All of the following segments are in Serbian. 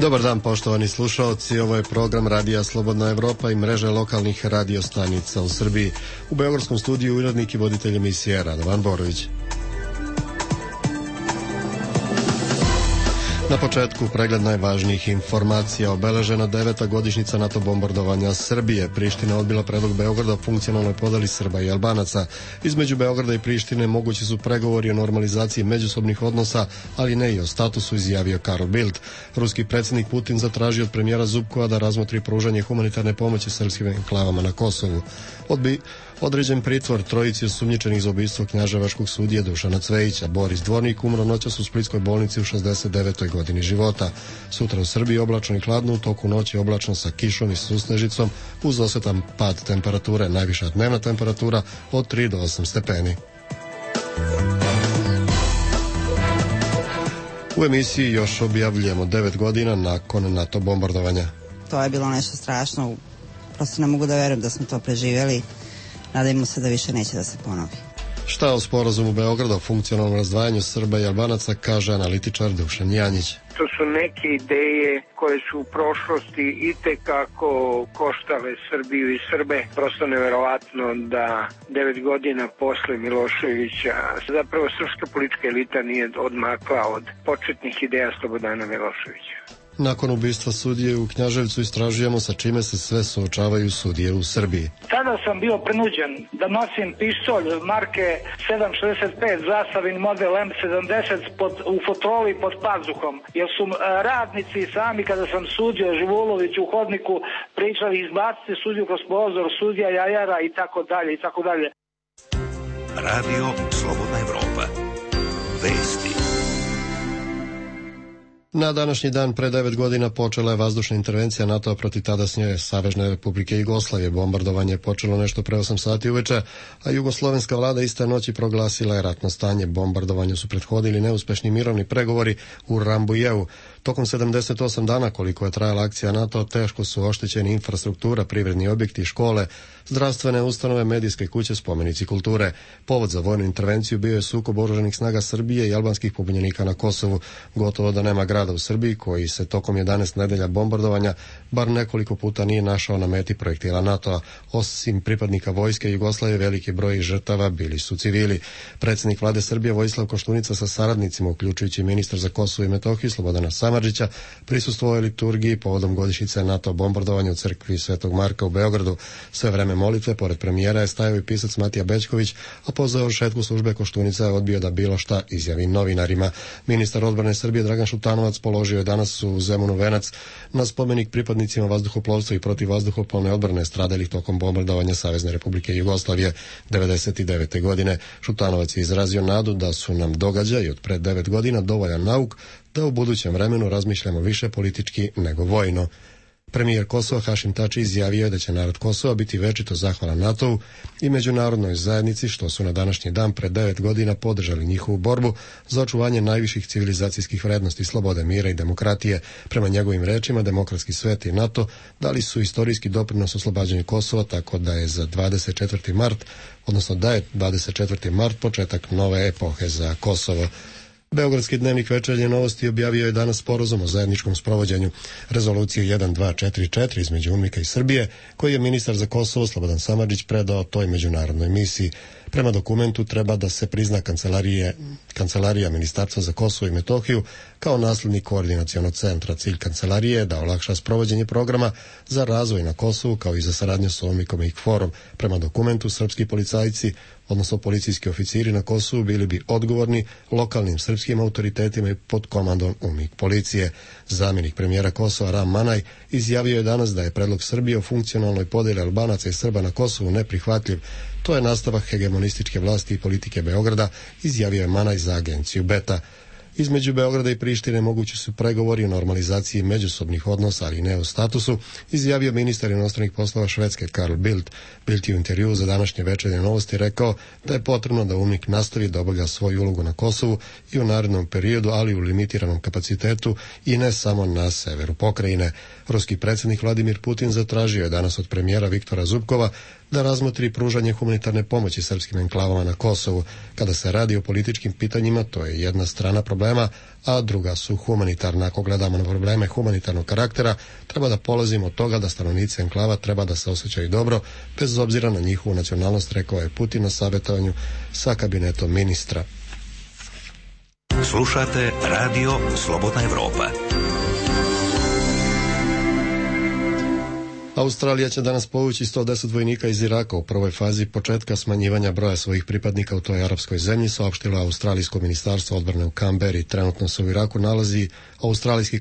Dobar dan, poštovani slušaoci, ovo je program Radija Slobodna Evropa i mreže lokalnih radiostanica u Srbiji. U beogradskom studiju urednik i voditelj emisije Radovan Borović. Na početku pregled najvažnijih informacija. Obeležena 9. godišnjica NATO bombardovanja Srbije. Priština odbila predlog Beograda o funkcionalnoj podeli Srba i Albanaca. Između Beograda i Prištine mogući su pregovori o normalizaciji međusobnih odnosa, ali ne i o statusu, izjavio Karl Bildt. Ruski predsjednik Putin zatražio od premijera Zubkova da razmotri pružanje humanitarne pomoći srpskim enklavama na Kosovu. Određen pritvor trojici osumnjičenih za ubistvo knjaževačkog sudije Dušana Cvejića. Boris Dvornik umro noćas u splitskoj bolnici u 69. godini života. Sutra u Srbiji oblačno i hladno, u toku noći oblačno sa kišom i susnežicom uz osetan pad temperature. Najviša dnevna temperatura od 3 do 8 stepeni. U emisiji još objavljujemo 9 godina nakon NATO bombardovanja. To je bilo nešto strašno. Prosto ne mogu da verujem da smo to preživjeli. Nadajmo se da više neće da se ponovi. Šta o sporazumu Beograda o funkcionalnom razdvajanju Srba i Albanaca kaže analitičar Dušan Janjić. To su neke ideje koje su u prošlosti itekako koštale Srbiju i Srbe. Prosto neverovatno da 9 godina posle Miloševića zapravo srpska politička elita nije odmakla od početnih ideja Slobodana Miloševića. Nakon ubistva sudije u Knjaževcu istražujemo sa čime se sve suočavaju sudije u Srbiji. Tada sam bio prinuđen da nosim pištolj marke 7.65 zastavin model M70 u fotroli pod pazuhom, jer su radnici sami kada sam sudio Živulović u hodniku pričali izbacite sudiju kroz prozor, sudija jajara i tako dalje i tako dalje. Radio Slobodna Evropa. Vesti. Na današnji dan pre 9 godina počela je vazdušna intervencija NATO-a protiv tadašnje Savezne Republike Jugoslavije. Bombardovanje je počelo nešto pre 8 sati uveče, a jugoslovenska vlada iste noći proglasila je ratno stanje. Bombardovanju su prethodili neuspešni mirovni pregovori u Rambujevu. Tokom 78 dana koliko je trajala akcija NATO, teško su oštećeni infrastruktura, privredni objekti, škole, zdravstvene ustanove, medijske kuće, spomenici kulture. Povod za vojnu intervenciju bio je sukob oružanih snaga Srbije i albanskih pobunjenika na Kosovu. Gotovo da nema grada u Srbiji koji se tokom 11 nedelja bombardovanja bar nekoliko puta nije našao na meti projektila NATO-a. Osim pripadnika vojske Jugoslavije, veliki broj žrtava bili su civili. Predsjednik vlade Srbije Vojislav Koštunica sa saradnicima, uključujući ministar za Kosovo i Metohiju Slobodana Samardžića, prisustvovao je liturgiji povodom godišnjice NATO bombardovanja u crkvi Svetog Marka u Beogradu. Sve vreme molitve, pored premijera, je stajao i pisac Matija Bećković, a po završetku službe Koštunica je odbio da bilo šta izjavi novinarima. Ministar odbrane Srbije Dragan Šutanovac položio je danas u Zemunu venac na spomenik pripadnicima vazduhoplovstva i protivvazduhoplovne odbrane stradalih tokom bombardovanja Savezne Republike Jugoslavije 1999. godine. Šutanovac je izrazio nadu da su nam događaji od pre 9 godina dovoljan nauk da u budućem vremenu razmišljamo više politički nego vojno. Premijer Kosova Hašim Tači izjavio je da će narod Kosova biti večito zahvalan NATO-u i međunarodnoj zajednici što su na današnji dan pre 9 godina podržali njihovu borbu za očuvanje najviših civilizacijskih vrednosti, slobode, mira i demokratije. Prema njegovim rečima, demokratski svet i NATO dali su istorijski doprinos oslobađanju Kosova, tako da je 24. mart početak nove epohe za Kosovo. Beogradski dnevnik Večernje novosti objavio je danas sporazum o zajedničkom sprovođenju rezolucije 1244 između UNMIK-a i Srbije, koji je ministar za Kosovo Slobodan Samardžić predao toj međunarodnoj misiji. Prema dokumentu treba da se prizna Kancelarija Ministarstva za Kosovo i Metohiju kao naslednik koordinacionog centra. Cilj kancelarije je da olakša sprovođenje programa za razvoj na Kosovu kao i za saradnju s UNMIK-om i KFOR-om. Prema dokumentu, srpski policajci, odnosno policijski oficiri na Kosovu, bili bi odgovorni lokalnim srpskim autoritetima i pod komandom UNMIK policije. Zamjenik premijera Kosova Ram Manaj izjavio je danas da je predlog Srbije o funkcionalnoj podjeli Albanaca i Srba na Kosovu neprihvatljiv. To je nastavak hegemonističke vlasti i politike Beograda, izjavio je Manaj za agenciju Beta. Između Beograda i Prištine mogući su pregovori o normalizaciji međusobnih odnosa, ali ne o statusu, izjavio ministar inostranih poslova Švedske Karl Bildt. Bildt je u intervjuu za današnje Večernje novosti rekao da je potrebno da UNMIK nastavi da obavlja svoju ulogu na Kosovu i u narednom periodu, ali u limitiranom kapacitetu i ne samo na severu pokrajine. Ruski predsjednik Vladimir Putin zatražio je danas od premijera Viktora Zubkova da razmotri pružanje humanitarne pomoći srpskim enklavama na Kosovu. Kada se radi o političkim pitanjima, to je jedna strana problema, a druga su humanitarna. Ako gledamo na probleme humanitarnog karaktera, treba da polazimo od toga da stanovnici enklava treba da se osjećaju dobro, bez obzira na njihovu nacionalnost, rekao je Putin na savjetovanju sa kabinetom ministra. Slušate Radio Slobodna Evropa. Australija će danas povući 110 vojnika iz Iraka u prvoj fazi početka smanjivanja broja svojih pripadnika u toj arapskoj zemlji, saopštilo Australijsko ministarstvo odbrane u Kamberi. Trenutno se u Iraku nalazi australijski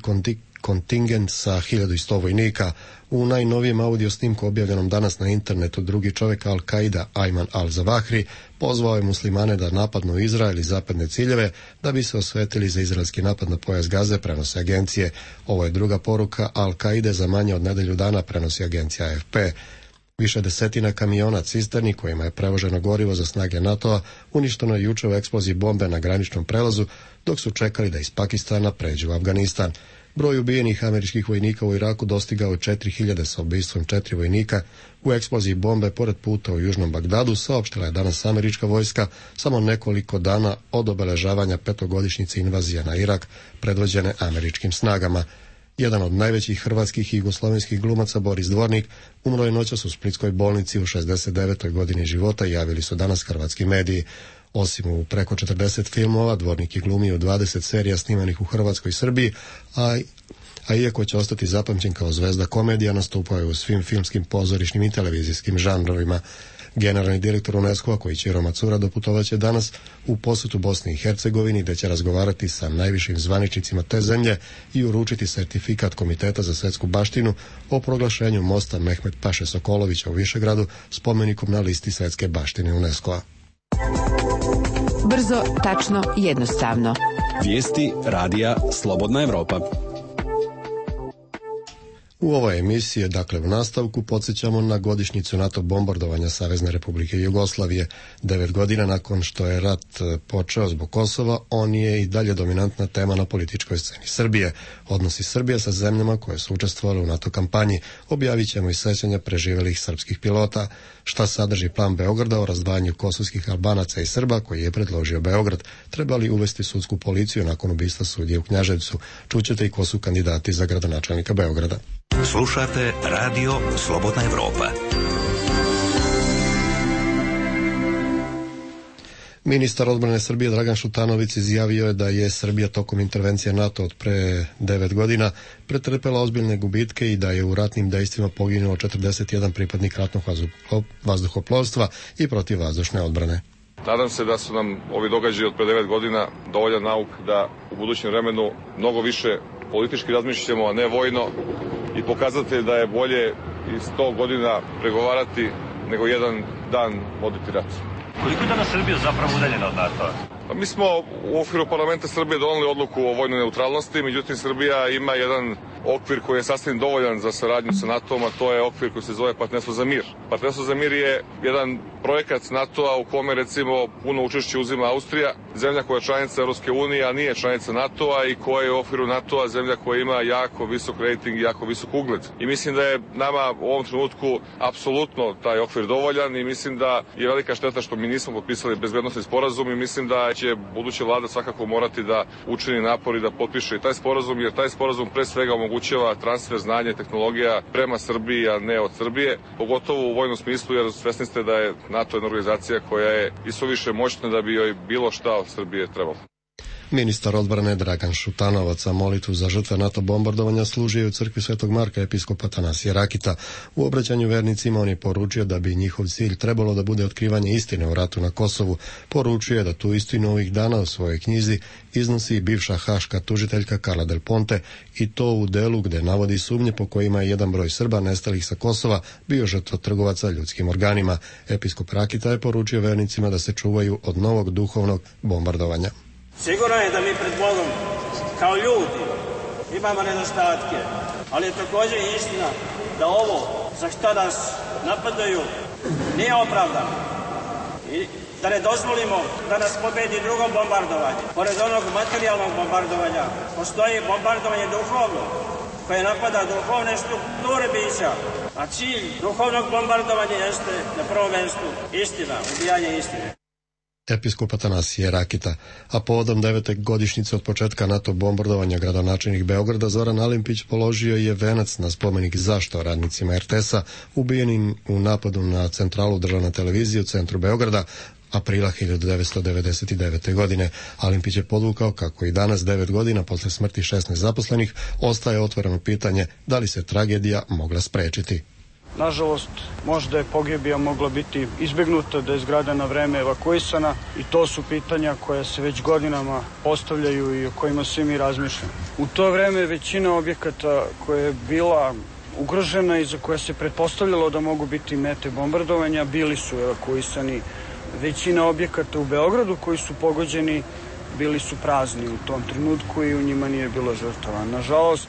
kontingent sa 1100 vojnika. U najnovijem audio snimku objavljenom danas na internetu drugi čovjek Al-Qaida, Ayman al-Zawahri, pozvao je muslimane da napadnu Izrael i zapadne ciljeve da bi se osvetili za izraelski napad na pojas Gaze, prenose agencije. Ovo je druga poruka Al-Qaide za manje od nedelju dana, prenosi agencija AFP. Više desetina kamiona cisterni kojima je prevoženo gorivo za snage NATO-a uništeno je juče u eksploziji bombe na graničnom prelazu dok su čekali da iz Pakistana pređu u Afganistan. Broj ubijenih američkih vojnika u Iraku dostigao 4000 sa ubistvom 4 vojnika u eksploziji bombe pored puta u južnom Bagdadu, saopštila je danas američka vojska samo nekoliko dana od obeležavanja petogodišnjice invazije na Irak predvođene američkim snagama. Jedan od najvećih hrvatskih i jugoslovenskih glumaca, Boris Dvornik, umro je noćas u splitskoj bolnici u 69. godini života, javili su danas hrvatski mediji. Osim u preko 40 filmova, Dvornik je glumio u 20 serija snimanih u Hrvatskoj i Srbiji, a iako će ostati zapamćen kao zvezda komedija, nastupao je u svim filmskim, pozorišnim i televizijskim žanrovima. Generalni direktor UNESCO-a, Koichiro Matsura, doputovaće danas u posjetu Bosni i Hercegovini, gdje će razgovarati sa najvišim zvaničnicima te zemlje i uručiti sertifikat Komiteta za svjetsku baštinu o proglašenju mosta Mehmet Paše Sokolovića u Višegradu spomenikom na listi svjetske baštine UNESCO-a. Brzo, tačno, jednostavno. Vijesti radija Slobodna Evropa. U ovoj emisiji, dakle u nastavku, podsjećamo na godišnjicu NATO bombardovanja Savezne Republike Jugoslavije. 9 godina nakon što je rat počeo zbog Kosova, on je i dalje dominantna tema na političkoj sceni Srbije. Odnosi Srbije sa zemljama koje su učestvovale u NATO kampanji. Objavit ćemo i sećanja preživjelih srpskih pilota. Šta sadrži plan Beograda o razdvajanju kosovskih Albanaca i Srba koji je predložio Beograd? Treba li uvesti sudsku policiju nakon ubistva sudije u Knjaževcu? Čućete i ko su kandidati za gradonačelnika Beograda. Slušate Radio Slobodna Evropa. Ministar odbrane Srbije Dragan Šutanović izjavio je da je Srbija tokom intervencije NATO od pre 9 godina pretrpela ozbiljne gubitke i da je u ratnim dejstvima poginulo 41 pripadnik ratnog vazduhoplovstva i protivvazdušne odbrane. Nadam se da su nam ovi događaji od pre 9 godina dovoljan nauk da u budućem vremenu mnogo više politički razmišljamo, a ne vojno, i pokazati da je bolje i 100 godina pregovarati nego jedan dan voditi rat. Koliko je danas Srbija zapravo udaljena od NATO-a? Mi smo u okviru parlamenta Srbije doneli odluku o vojnoj neutralnosti, međutim Srbija ima jedan okvir koji je sasvim dovoljan za saradnju sa NATO-om, a to je okvir koji se zove Partnerstvo za mir. Partnerstvo za mir je jedan projekat NATO-a u kome recimo puno učešće uzima Austrija, zemlja koja je članica Europske unije, a nije članica NATO-a i koja je u okviru NATO-a zemlja koja ima jako visok rating i jako visok ugled. I mislim da je nama u ovom trenutku apsolutno taj okvir dovoljan i mislim da je velika šteta što mi nismo potpisali bezbednosni sporazum i mislim da će buduća vlada svakako morati da učini napor i da potpiše i taj sporazum, jer taj sporazum pre svega omogućava transfer znanja i tehnologija prema Srbiji, a ne od Srbije, pogotovo u vojnom smislu, jer svesni ste da je NATO jedna organizacija koja je isuviše moćna da bi joj bilo šta od Srbije trebalo. Ministar odbrane Dragan Šutanovac za molitvu za žrtve NATO bombardovanja služio u crkvi Svetog Marka episkopa Atanasija Rakita. U obraćanju vernicima on je poručio da bi njihov cilj trebalo da bude otkrivanje istine o ratu na Kosovu. Poručio je da tu istinu ovih dana u svojoj knjizi iznosi i bivša haška tužiteljka Carla Del Ponte, i to u delu gde navodi sumnje po kojima je jedan broj Srba nestalih sa Kosova bio žrtva trgovaca ljudskim organima. Episkop Rakita je poručio vernicima da se čuvaju od novog duhovnog bombardovanja. Sigurno je da mi pred Bogom, kao ljudi, imamo nedostatke, ali je također istina da ovo za što nas napadaju nije opravdano. I da ne dozvolimo da nas pobedi drugo bombardovanje. Pored onog materijalnog bombardovanja, postoji bombardovanje duhovno. koje napada duhovne strukture bića, a cilj duhovnog bombardovanja jeste na prvom mjestu istina, ubijanje istine. Episkop Atanasije Rakita, a povodom 9. godišnjice od početka NATO bombardovanja gradonačelnik Beograda Zoran Alimpić položio je venac na spomenik zašto radnicima RTS-a ubijenim u napadu na centralu državne televizije u centru Beograda aprila 1999. godine. Alimpić je podvukao kako i danas 9 godina posle smrti 16 zaposlenih ostaje otvoreno pitanje da li se tragedija mogla sprečiti. Nažalost, možda je pogibija mogla biti izbjegnuta, da je zgrada na vreme evakuisana i to su pitanja koja se već godinama postavljaju i o kojima svi mi razmišljamo. U to vreme većina objekata koja je bila ugrožena i za koja se pretpostavljalo da mogu biti mete bombardovanja bili su evakuisani. Većina objekata u Beogradu koji su pogođeni bili su prazni u tom trenutku i u njima nije bilo žrtava. Nažalost,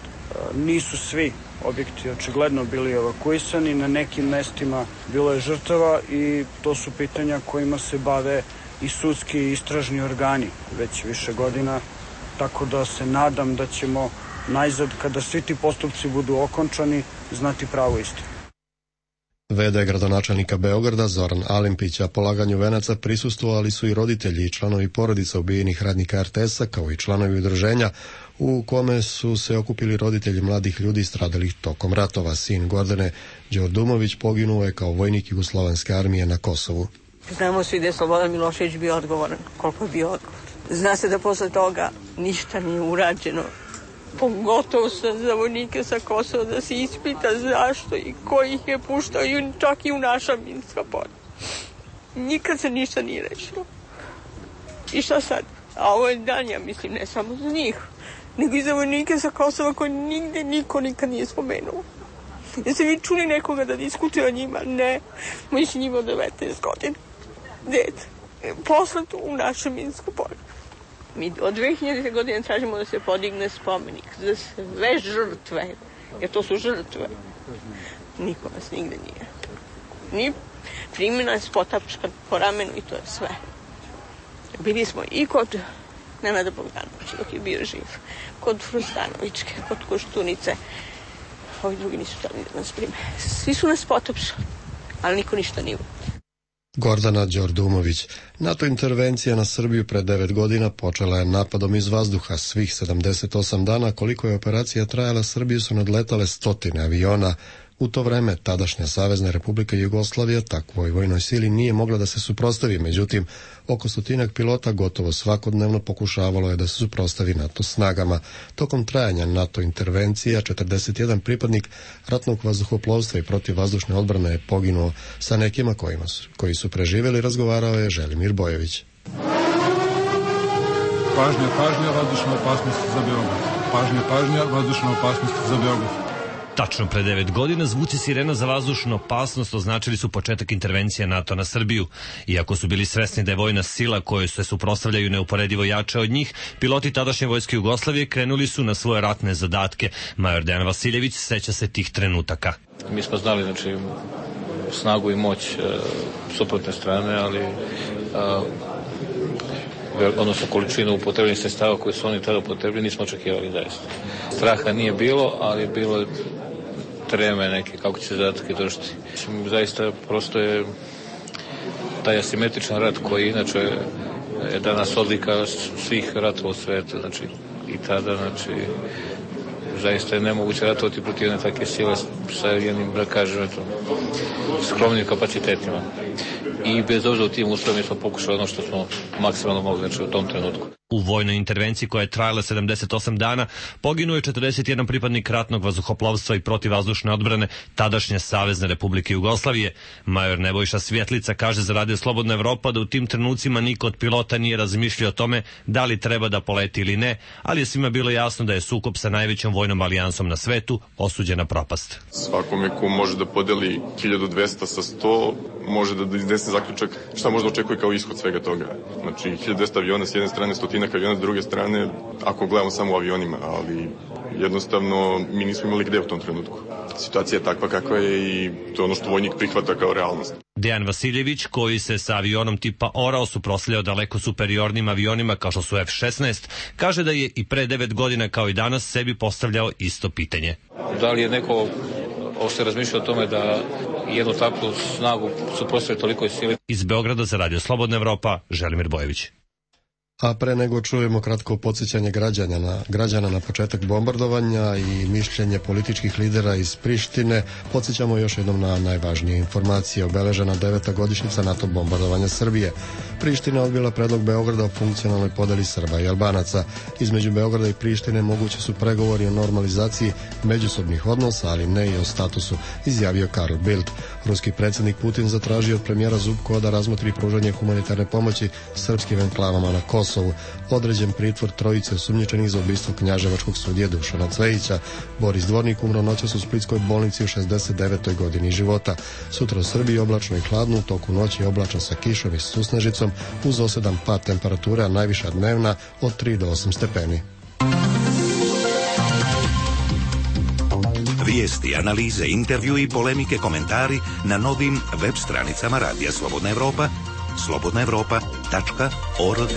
nisu svi objekti očigledno bili evakuisani, na nekim mestima bilo je žrtava i to su pitanja kojima se bave i sudski i istražni organi već više godina, tako da se nadam da ćemo najzad, kada svi ti postupci budu okončani, znati pravu istinu. V.d. gradonačelnika Beograda Zoran Alimpić, a polaganju venaca prisustvovali su i roditelji i članovi porodica ubijenih radnika RTS-a, kao i članovi udruženja u kome su se okupili roditelji mladih ljudi stradalih tokom ratova. Sin Gordane Đordumović poginuo je kao vojnik Jugoslovenske armije na Kosovu. Znamo svi da je Slobodan Milošević bio odgovoran, koliko je bio odgovoran. Zna se da posle toga ništa nije urađeno. Pogotovo za vojnike sa Kosova, da se ispita zašto i ko ih je puštao, čak i u naša minska polja. Nikad se ništa nije rešilo. I šta sad? A ovo je dan, ja mislim, ne samo za njih, nego i za vojnike sa Kosova koji nigde niko nikad nije spomenuo. Jeste vi čuli nekoga da diskutuje o njima? Ne. Moj si njima 19 godina. Dete. Poslat u naše minsko polje. Mi od 2000. godine tražimo da se podigne spomenik za sve žrtve, jer to su žrtve. Niko nas nigde nije. Ni primjena je spotapčka po ramenu i to je sve. Bili smo i kod Nenada Bogdanovića dok je bio živ, kod Frustanovićke, kod Koštunice. Ovi drugi nisu htjeli da nas prime. Svi su nas potapšali, ali niko ništa nije. Gordana Đordumović. NATO intervencija na Srbiju pred 9 godina počela je napadom iz vazduha. Svih 78 dana koliko je operacija trajala, Srbiju su nadletale stotine aviona. U to vreme tadašnja Savezna Republika Jugoslavija takvoj vojnoj sili nije mogla da se suprotstavi, međutim, oko 100 pilota gotovo svakodnevno pokušavalo je da se suprotstavi NATO snagama. Tokom trajanja NATO intervencija 41 pripadnik ratnog vazduhoplovstva i protivvazdušne odbrane je poginuo. Sa nekima koji su preživjeli razgovarao je Želimir Bojević. Pažnja, vazdušna opasnost za Beograd. Pažnja, vazdušna opasnost za Beograd. Tačno pre 9 godina zvuci sirena za vazdušnu opasnost označili su početak intervencije NATO na Srbiju. Iako su bili svesni da je vojna sila kojoj se suprotstavljaju neuporedivo jača od njih, piloti tadašnje vojske Jugoslavije krenuli su na svoje ratne zadatke. Major Dejan Vasiljević seća se tih trenutaka. Mi smo znali, znači, snagu i moć suprotne strane, ali odnosno količinu upotrebljenih sredstava koje su oni tada upotrebili nismo očekivali zaista. Straha nije bilo, ali bilo je treme neke, kako će se zadatke držati. Zaista prosto je taj asimetričan rat koji inače je danas odlika svih ratova u svetu, znači i tada, znači zaista je nemoguće ratovati protiv jedne takve sile sa jednim, da kažem, skromnim kapacitetima. I bez obzira u tim uslovima smo pokušali ono što smo maksimalno mogli, znači u tom trenutku. U vojnoj intervenciji koja je trajala 78 dana poginuo je 41 pripadnik ratnog vazduhoplovstva i protivvazdušne odbrane tadašnje Savezne Republike Jugoslavije. Major Nebojša Svjetlica kaže za Radio Slobodna Evropa da u tim trenucima niko od pilota nije razmišljao o tome da li treba da poleti ili ne, ali je svima bilo jasno da je sukob sa najvećom vojnom alijansom na svetu osuđen na propast. Svakome ko može da podeli 1200 sa 100 može da iznese zaključak šta možda očekuje kao ishod svega toga. Znači 1200 aviona s jedne strane, 100 aviona s druge strane, ako gledamo samo u avionima, ali jednostavno mi nismo imali gde u tom trenutku. Situacija je takva kakva je i to je ono što vojnik prihvata kao realnost. Dejan Vasiljević, koji se sa avionom tipa Orao suprotstavljao daleko superiornim avionima kao što su F-16, kaže da je i pre 9 godina kao i danas sebi postavljao isto pitanje. Da li je neko uopšte razmišljao o tome da jednu takvu snagu suprotstavlja tolikoj sili? Iz Beograda za Radio Slobodna Evropa, Želimir Bojević. A pre nego čujemo kratko podsjećanje građana na početak bombardovanja i mišljenje političkih lidera iz Prištine, podsjećamo još jednom na najvažnije informacije. Obeležena 9. godišnjica NATO bombardovanja Srbije. Priština odbila predlog Beograda o funkcionalnoj podeli Srba i Albanaca. Između Beograda i Prištine mogući su pregovori o normalizaciji međusobnih odnosa, ali ne i o statusu, izjavio Karl Bildt. Ruski predsjednik Putin zatražio od premijera Zubkova da razmotri pružanje humanitarne pomoći srpskim enklavama na Kosovu. Određen pritvor trojice osumnjičenih za ubistvo knjaževačkog sudije Dušana Cvejića. Boris Dvornik umro noćas u splitskoj bolnici u 69. godini života. Sutra u Srbiji oblačno i hladno, u toku noći oblačno sa kišom i susnežicom, uz osedan pad temperature, a najviša dnevna od 3 do 8 stepeni. Vijesti, analize, intervju i polemike, komentari na novim web stranicama Radija Slobodna Evropa, slobodnaevropa.org.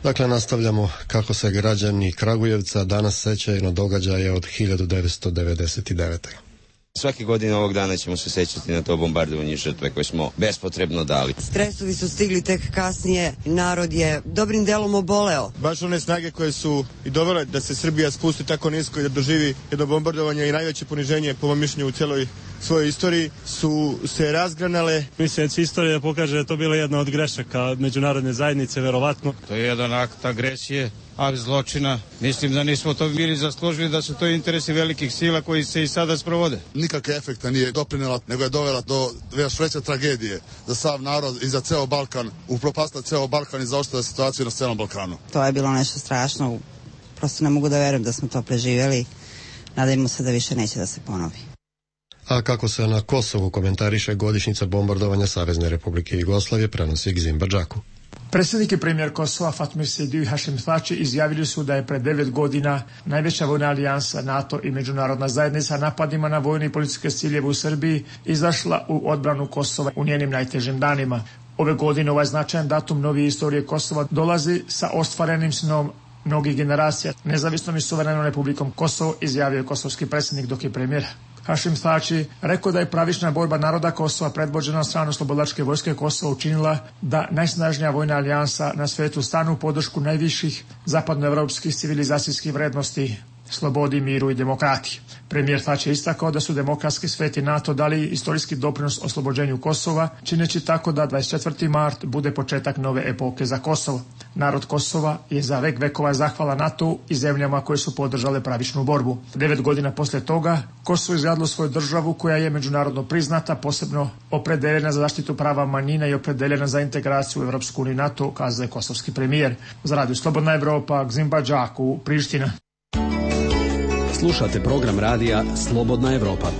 Dakle, nastavljamo kako se građani Kragujevca danas sećaju na događaje od 1999. Svake godine ovog dana ćemo se sećati na to bombardovanje i žrtve koje smo bespotrebno dali. Stresovi su stigli tek kasnije, narod je dobrim delom oboleo. Baš one snage koje su i dovele da se Srbija spusti tako nisko i da doživi jedno bombardovanje i najveće poniženje, po mom mišljenju, u cijeloj svojoj istoriji, su se razgranale. Mislim da će istorija pokaže da je to bila jedna od grešaka međunarodne zajednice, verovatno. To je jedan akt agresije, akt zločina. Mislim da nismo to bili zaslužili, da su to interesi velikih sila koji se i sada sprovode. Nikakve efekta nije doprinela, nego je dovela do još veće tragedije za sav narod i za ceo Balkan, upropastila ceo Balkan i zaoštrila situaciju na celom Balkanu. To je bilo nešto strašno, prosto ne mogu da verujem da smo to preživjeli. Nadajmo se da više neće da se ponovi. A kako se na Kosovu komentariše godišnjica bombardovanja Savezne Republike Jugoslavije, prenosi Gzim Badžaku. Predsjednik i premijer Kosova Fatmir Sejdiu i Hašim Thači izjavili su da je pred 9 godina najveća vojna alijansa NATO i međunarodna zajednica napadima na vojne i policijske ciljeve u Srbiji izašla u odbranu Kosova u njenim najtežim danima. Ove godine ovaj značajan datum novije istorije Kosova dolazi sa ostvarenim snom mnogih generacija. Nezavisnom i suverenom Republikom Kosovo, izjavio je kosovski predsjednik, dok je premijer Hašim Thači rekao da je pravična borba naroda Kosova predvođena od strane Oslobodilačke vojske Kosova učinila da najsnažnija vojna alijansa na svetu stanu u podršku najviših zapadnoevropskih civilizacijskih vrednosti, slobodi, miru i demokratiji. Premijer Thači je istakao da su demokratski svet i NATO dali istorijski doprinos oslobođenju Kosova, čineći tako da 24. mart bude početak nove epoke za Kosovo. Narod Kosova je za vek vekova zahvala NATO i zemljama koje su podržale pravičnu borbu. 9 godina posle toga Kosovo izgradilo svoju državu koja je međunarodno priznata, posebno opredeljena za zaštitu prava manjina i opredeljena za integraciju u Evropsku uniju i NATO, kazao je kosovski premijer. Za Radio Slobodna Evropa, Gzim Badžaku, Priština. Slušate program radija Slobodna Evropa.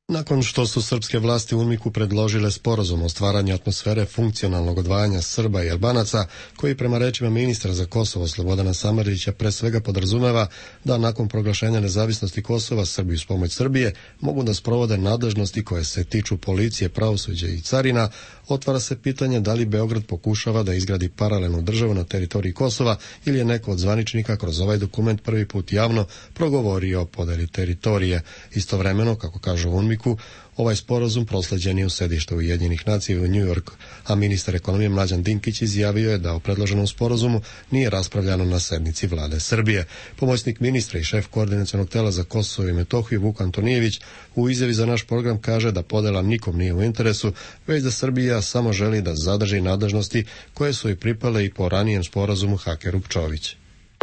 Nakon što su srpske vlasti u UNMIK-u predložile sporazum o stvaranju atmosfere funkcionalnog odvajanja Srba i Albanaca, koji prema rečima ministra za Kosovo Slobodana Samardžića pre svega podrazumeva da nakon proglašenja nezavisnosti Kosova Srbi uz pomoć Srbije mogu da sprovode nadležnosti koje se tiču policije, pravosuđa i carina, otvara se pitanje da li Beograd pokušava da izgradi paralelnu državu na teritoriji Kosova ili je neko od zvaničnika kroz ovaj dokument prvi put javno progovorio o podeli teritorije. Istovremeno, kako kažu u UNMIK-u, ovaj sporazum prosleđen je u sedište Ujedinjenih nacija u New York, a ministar ekonomije Mlađan Dinkić izjavio je da o predloženom sporazumu nije raspravljano na sednici vlade Srbije. Pomoćnik ministra i šef koordinacionog tela za Kosovo i Metohiju Vuk Antonijević u izjavi za naš program kaže da podela nikom nije u interesu, već da Srbija samo želi da zadrži nadležnosti koje su i pripale i po ranijem sporazumu Hakerup-Čović.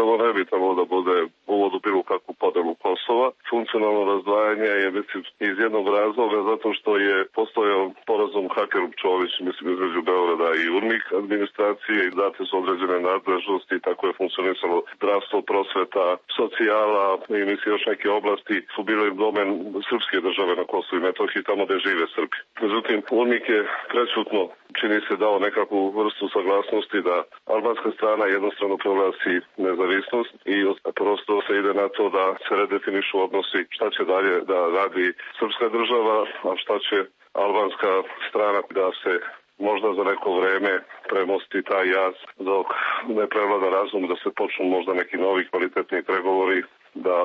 Ovo ne bi trebalo da bude uvod u bilo kakvu podelu Kosova. Funkcionalno razdvajanje je, mislim, iz jednog razloga, zato što je postojao sporazum Hakerup-Čović, mislim, između Beograda i UNMIK administracije i date su određene nadležnosti, tako je funkcionisalo zdravstvo, prosveta, socijala i mislim još neke oblasti su bile domen srpske države na Kosovu i Metohiji, tamo gde žive Srbi. Međutim, UNMIK je prečutno, čini se, dao nekakvu vrstu saglasnosti da albanska strana jednostrano proglasi nezavisnost i prosto se ide na to da se redefinišu odnosi, šta će dalje da radi srpska država, a šta će albanska strana, da se možda za neko vreme premosti taj jaz dok ne prevlada razum, da se počnu možda neki novi kvalitetni pregovori, da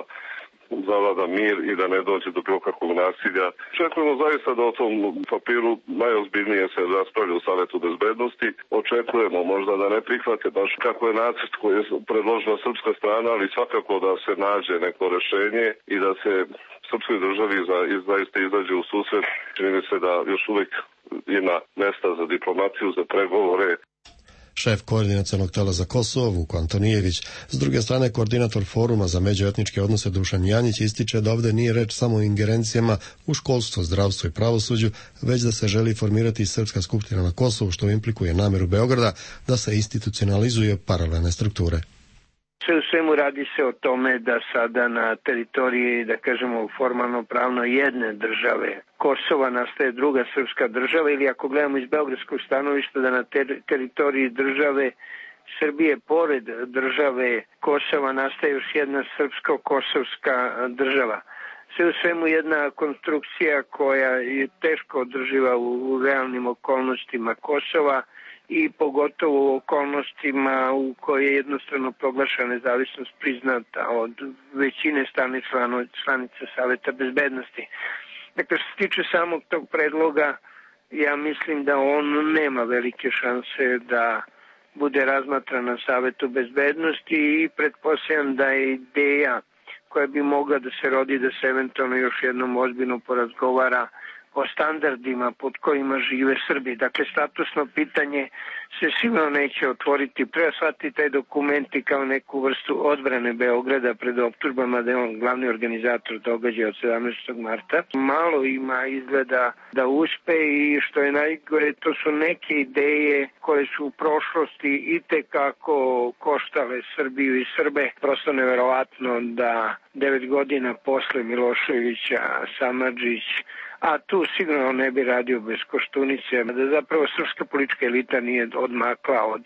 zavlada mir i da ne dođe do bilo kakvog nasilja. Očekujemo zaista da o tom papiru najozbiljnije se raspravlja u Savetu bezbednosti. Očekujemo možda da ne prihvate baš kako je nacrt koji je predložila srpska strana, ali svakako da se nađe neko rešenje i da se srpskoj državi zaista izađe u susret. Čini mi se da još uvijek ima mesta za diplomatiju, za pregovore. Šef koordinacionog tela za Kosovo, Vuko Antonijević. S druge strane, koordinator foruma za međuetničke odnose Dušan Janjić ističe da ovdje nije reč samo o ingerencijama u školstvo, zdravstvo i pravosuđu, već da se želi formirati Srpska skupština na Kosovu, što implikuje nameru Beograda da se institucionalizuju paralelne strukture. Sve u svemu radi se o tome da sada na teritoriji, da kažemo formalno pravno jedne države Kosova nastaje druga srpska država, ili ako gledamo iz beogradskog stanovišta da na teritoriji države Srbije pored države Kosova nastaje još jedna srpsko-kosovska država. Sve u svemu jedna konstrukcija koja je teško održiva u realnim okolnostima Kosova i pogotovo u okolnostima u koje je jednostavno proglašena nezavisnost priznata od većine stalnih članica Saveta bezbednosti. Dakle, što se tiče samog tog predloga, ja mislim da on nema velike šanse da bude razmatran na Savetu bezbednosti i pretpostavljam da je ideja koja bi mogla da se rodi, da se eventualno još jednom ozbiljno porazgovara o standardima pod kojima žive Srbi. Dakle, statusno pitanje se sigurno neće otvoriti. Treba shvatiti taj dokumenti kao neku vrstu odbrane Beograda pred optužbama da je on glavni organizator događaja od 17. marta. Malo ima izgleda da uspe i što je najgore, to su neke ideje koje su u prošlosti itekako koštale Srbiju i Srbe. Prosto neverovatno da 9 godina posle Miloševića Samardžić, a tu sigurno ne bi radio bez Koštunice, da zapravo srpska politička elita nije odmakla od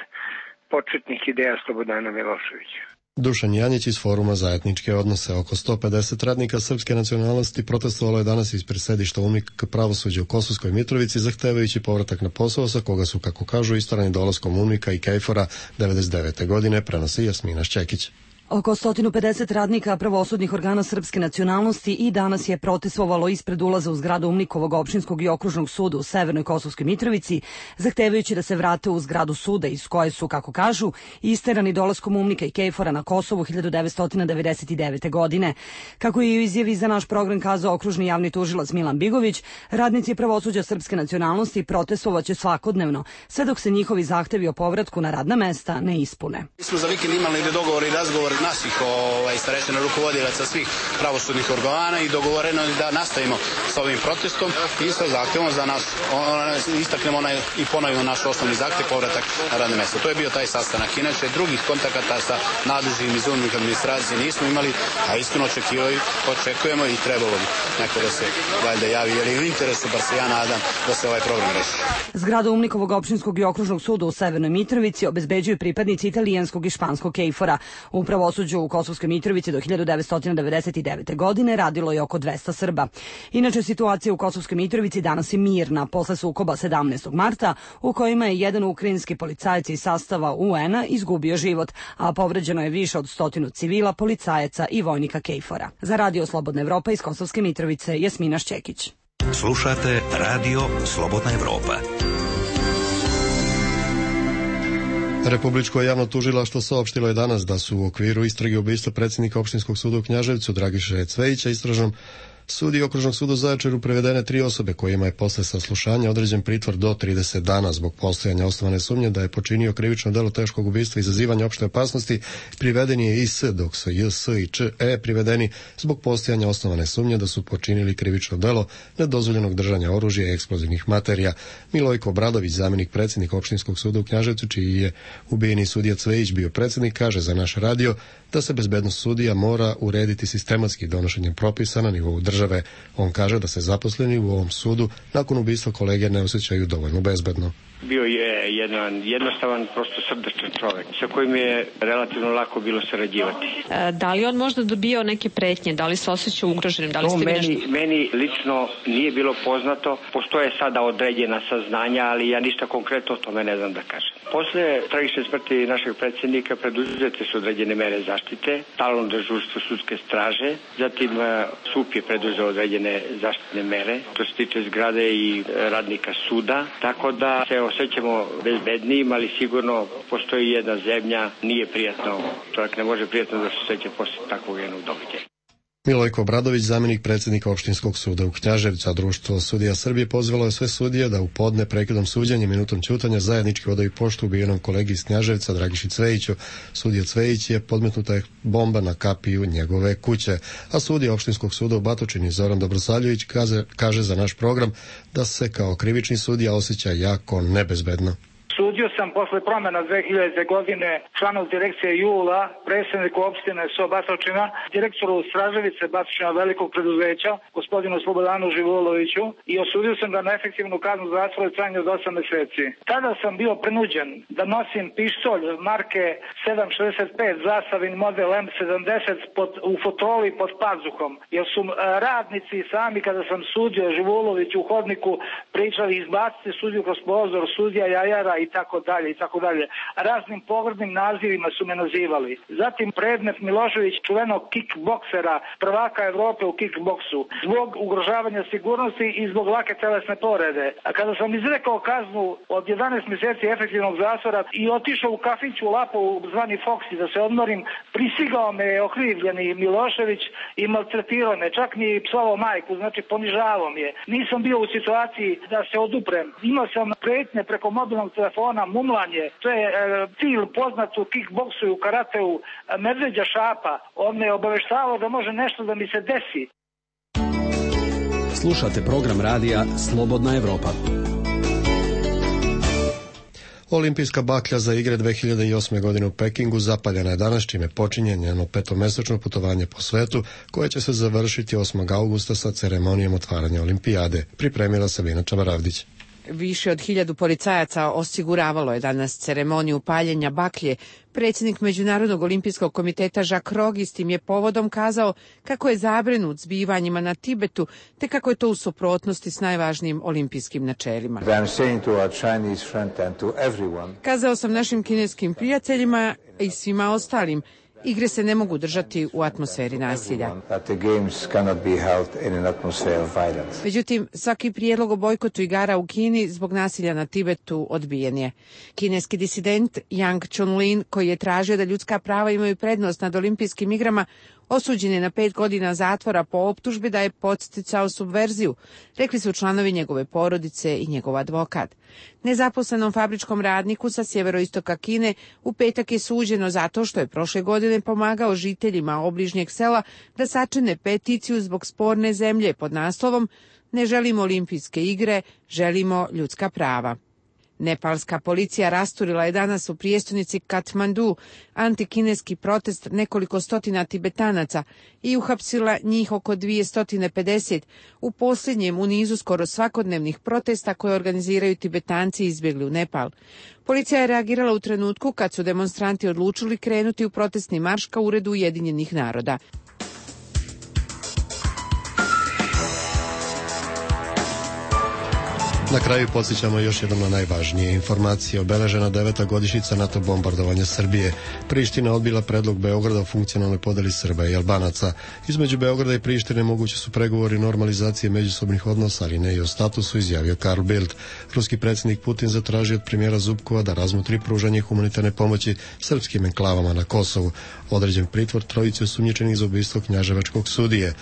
početnih ideja Slobodana Miloševića. Dušan Janjić iz foruma za etničke odnose. Oko 150 radnika srpske nacionalnosti protestovalo je danas ispred sedišta UNMIK pravosuđa u Kosovskoj Mitrovici, zahtevajući povratak na posao sa koga su, kako kažu, istarani dolaskom UNMIK-a i KFOR-a 99. godine, prenosi Jasmina Šćekić. Oko 150 radnika pravosudnih organa srpske nacionalnosti i danas je protestovalo ispred ulaza u zgradu UNMIK-ovog opštinskog i okružnog suda u Severnoj Kosovskoj Mitrovici, zahtevajući da se vrate u zgradu suda iz koje su, kako kažu, isterani dolaskom UNMIK-a i KFOR-a na Kosovu 1999. godine. Kako je u izjavi za naš program kazao okružni javni tužilac Milan Bigović, radnici pravosuđa srpske nacionalnosti protestovaće svakodnevno, sve dok se njihovi zahtevi o povratku na radna mesta ne ispune. Mi smo za vikend imali dogovor i razgovor naših starešina rukovodilaca svih pravosudnih organa i dogovoreno je da nastavimo sa ovim protestom i sa zahtevom za nas, istaknemo i ponovimo naš osnovni zahtev, povratak na radne mjesto. To je bio taj sastanak. Inače, drugih kontakata sa nadležnim iz UNMIK administracije nismo imali, a iskreno očekujemo i trebalo bi neko da se valjda javi, jer je u interesu, bar se ja nadam, da se ovaj problem reši. Zgradu UNMIK-ovog opštinskog i okružnog suda u Severnoj Mitrovici obezbeđuju pripadnici italijanskog i španskog KFOR-a. U pravosuđu u Kosovskoj Mitrovici do 1999. godine radilo je oko 200 Srba. Inače, situacija u Kosovskoj Mitrovici danas je mirna posle sukoba 17. marta u kojima je jedan ukrajinski policajac iz sastava UN-a izgubio život, a povređeno je više od 100 civila, policajaca i vojnika KFOR-a. Za Radio Slobodna Evropa iz Kosovske Mitrovice, Jasmina Šćekić. Slušate Radio Slobodna Evropa. Republičko javno tužilaštvo saopštilo je danas da su u okviru istrage ubistva predsjednika opštinskog suda u Knjaževcu Dragiše Cvejića istražnom sudi okružnog suda u Zaječaru privedene 3 osobe kojima je posle saslušanja određen pritvor do 30 dana zbog postojanja osnovane sumnje da je počinio krivično delo teškog ubistva i izazivanja opšte opasnosti. Priveden je IS, dok su JS i ČE privedeni zbog postojanja osnovane sumnje da su počinili krivično delo nedozvoljenog držanja oružja i eksplozivnih materija. Milojko Obradović, zamjenik predsjednika opštinskog suda u Knjaževcu, čiji je ubijeni sudija Cvejić bio predsjednik, kaže za naš radio da se bezbednost sudija mora urediti sistematski donošenjem propisa na nivou države. države. On kaže da se zaposleni u ovom sudu nakon ubistva kolege ne osjećaju dovoljno bezbedno. Bio je jedan jednostavan, prosto srdačan čovjek sa kojim je relativno lako bilo sarađivati. Da li on možda dobio neke pretnje? Da li se osjećao ugroženim? Da li ste meni lično nije bilo poznato. Postoje sada određena saznanja, ali ja ništa konkretno o tome ne znam da kažem. Posle tragične smrti našeg predsjednika preduzete su određene mere zaštite, stalno dežurstvo sudske straže, zatim SUP je preduzeo određene zaštitne mere, to se tiče zgrade i radnika suda, tako da se osjećamo bezbednijim, ali sigurno postoji jedna zemlja, nije prijatno, čovjek ne može prijatno da se osjeća posle takvog jednog događaja. Milojko Obradović, zamjenik predsjednika Opštinskog suda u Knjaževcu, a Društvo sudija Srbije pozvalo je sve sudije da u podne prekidom suđenja minutom ćutanja zajednički odaju poštu ubijenom kolegi iz Knjaževca Dragiši Cvejiću. Sudija Cvejić je podmetnuta je bomba na kapiju njegove kuće, a sudija Opštinskog suda u Batočini Zoran Dobrosaljević kaže za naš program da se kao krivični sudija osjeća jako nebezbedno. Sudio sam posle promjena 2000. godine članov direkcije Jula, predsjedniku opštine Batočina, direktoru Straževice Batočina velikog preduzeća, gospodinu Slobodanu Živoloviću, i osudio sam ga na efektivnu kaznu zatvora u trajanju od 8 meseci. Tada sam bio prinuđen da nosim pištolj marke 7.65 zastavin model M70 u fotoli pod pazuhom, jer su radnici sami kada sam sudio Živoloviću u hodniku pričali izbaciti sudiju kroz prozor, sudija Jajara i tako dalje. Raznim pogrdnim nazivima su me nazivali. Zatim predmet Milošević, čuvenog kickboksera, prvaka Evrope u kickboksu, zbog ugrožavanja sigurnosti i zbog lake telesne povrede. A kada sam izrekao kaznu od 11 mjeseci efektivnog zatvora i otišao u kafić u Lapovu zvani Foxy da se odmorim, prisigao me je okrivljeni Milošević i maltretirao me, čak mi psovao majku, znači ponižavao me je. Nisam bio u situaciji da se oduprem. Imao sam pretnje preko mobilnog telefona, mumlanje, to je cilj poznat u kickboksu i u karateu Medveđa Šapa. On me obaveštavao da može nešto da mi se desi. Slušate program radija Slobodna Evropa. Olimpijska baklja za igre 2008. godine u Pekingu zapaljena je danas, čime počinje njeno petomesečno putovanje po svetu, koje će se završiti 8. augusta sa ceremonijom otvaranja olimpijade. Pripremila Sabina Čabaravdić. Više od 1000 policajaca osiguravalo je danas ceremoniju paljenja baklje. Predsjednik Međunarodnog olimpijskog komiteta Jacques Rogge s tim je povodom kazao kako je zabrinut zbivanjima na Tibetu, te kako je to u suprotnosti s najvažnijim olimpijskim načelima. Kazao sam našim kineskim prijateljima i svima ostalim, igre se ne mogu držati u atmosferi nasilja. Međutim, svaki prijedlog o bojkotu igara u Kini zbog nasilja na Tibetu odbijen je. Kineski disident Yang Chunlin, koji je tražio da ljudska prava imaju prednost nad olimpijskim igrama, osuđen je na 5 godina zatvora po optužbi da je podsticao subverziju, rekli su članovi njegove porodice i njegov advokat. Nezaposlenom fabričkom radniku sa sjeveroistoka Kine u petak je suđeno zato što je prošle godine pomagao žiteljima obližnjeg sela da sačine peticiju zbog sporne zemlje pod naslovom "Ne želimo olimpijske igre, želimo ljudska prava". Nepalska policija rasturila je danas u prijestolnici Katmandu antikineski protest nekoliko stotina Tibetanaca i uhapsila njih oko 250 u posljednjem u nizu skoro svakodnevnih protesta koje organiziraju Tibetanci izbjegli u Nepal. Policija je reagirala u trenutku kad su demonstranti odlučili krenuti u protestni marš ka uredu Ujedinjenih naroda. Na kraju podsjećamo još jednom na najvažnije informacije. Obeležena 9. godišnjica NATO bombardovanja Srbije. Priština odbila predlog Beograda o funkcionalnoj podeli Srba i Albanaca. Između Beograda i Prištine mogući su pregovori normalizacije međusobnih odnosa, ali ne i o statusu, izjavio Karl Bildt. Ruski predsjednik Putin zatražio od premijera Zubkova da razmotri pružanje humanitarne pomoći srpskim enklavama na Kosovu. Određen pritvor trojice osumnjičenih za ubistvo knjaževačkog sudije.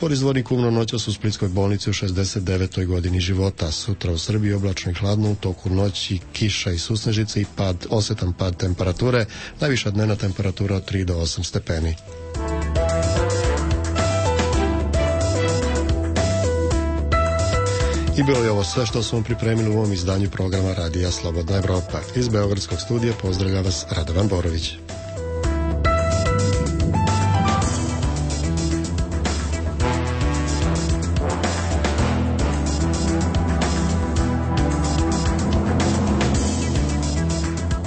Boris Dvornik umro noćas u splitskoj bolnici u 69. godini života. Sutra u Srbiji oblačno i hladno, u toku noći kiša i susnežice i osetan pad temperature, najviša dnevna temperatura od 3 do 8 stepeni. I bilo je ovo sve što smo pripremili u ovom izdanju programa Radija Slobodna Evropa. Iz Beogradskog studija pozdravlja vas Radovan Borović.